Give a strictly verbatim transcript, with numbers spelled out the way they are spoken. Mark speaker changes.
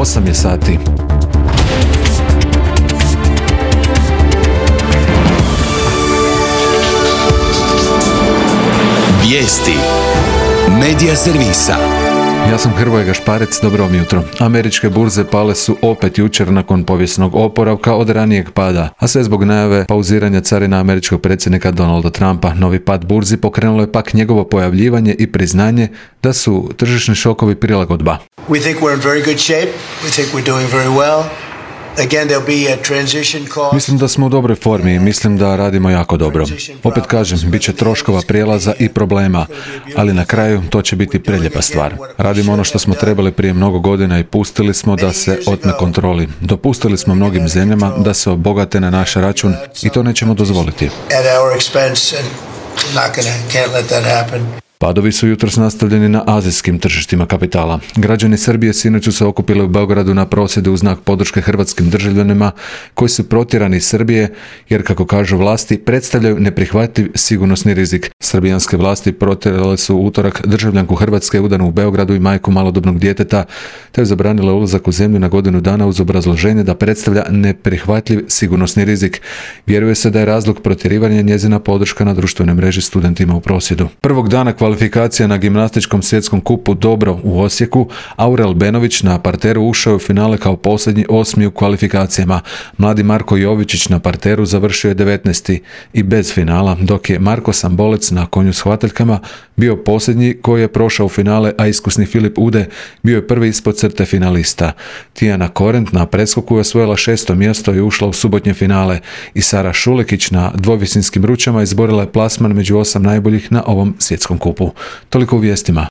Speaker 1: osam je sati.
Speaker 2: Vijesti Medija servisa.
Speaker 1: Ja sam Hrvoje Gašparec, dobro vam jutro. Američke burze pale su opet jučer nakon povijesnog oporavka od ranijeg pada, a sve zbog najave pauziranja carina američkog predsjednika Donalda Trumpa. Novi pad burzi pokrenulo je pak njegovo pojavljivanje i priznanje da su tržišni šokovi prilagodba.
Speaker 3: We think we're in very good shape. We think we're doing very well. Again, there'll be a transition cost.
Speaker 1: Mislim da smo u dobroj formi i mislim da radimo jako dobro. Opet kažem, bit će troškova prijelaza i problema, ali na kraju to će biti preljepa stvar. Radimo ono što smo trebali prije mnogo godina i pustili smo da se otme kontroli. Dopustili smo mnogim zemljama da se obogate na naš račun i to nećemo dozvoliti.
Speaker 3: At our expense, and not gonna, can't let that happen.
Speaker 1: Padovi su jutros nastavljeni na azijskim tržištima kapitala. Građani Srbije sinoć su se okupili u Beogradu na prosvjedu u znak podrške hrvatskim državljanima koji su protjerani iz Srbije jer, kako kažu vlasti, predstavljaju neprihvatljiv sigurnosni rizik. Srbijanske vlasti protjerale su u utorak državljanku Hrvatske udanu u Beogradu i majku malodobnog djeteta, te je zabranila ulazak u zemlju na godinu dana uz obrazloženje da predstavlja neprihvatljiv sigurnosni rizik. Vjeruje se da je razlog protjerivanja njezina podrška na društvenoj mreži studentima u prosvjedu. Prvog dana kvalifikacija na gimnastičkom svjetskom kupu Dobro u Osijeku, Aurel Benović na parteru ušao je u finale kao posljednji osmi u kvalifikacijama. Mladi Marko Jovičić na parteru završio je devetnaesti i bez finala, dok je Marko Sambolec na konju s hvataljkama bio posljednji koji je prošao u finale, a iskusni Filip Ude bio je prvi ispod crte finalista. Tijana Korent na preskoku je osvojila šesto mjesto i ušla u subotnje finale i Sara Šulekić na dvovisinskim ručama izborila je plasman među osam najboljih na ovom svjetskom kupu. Toliko u vijestima.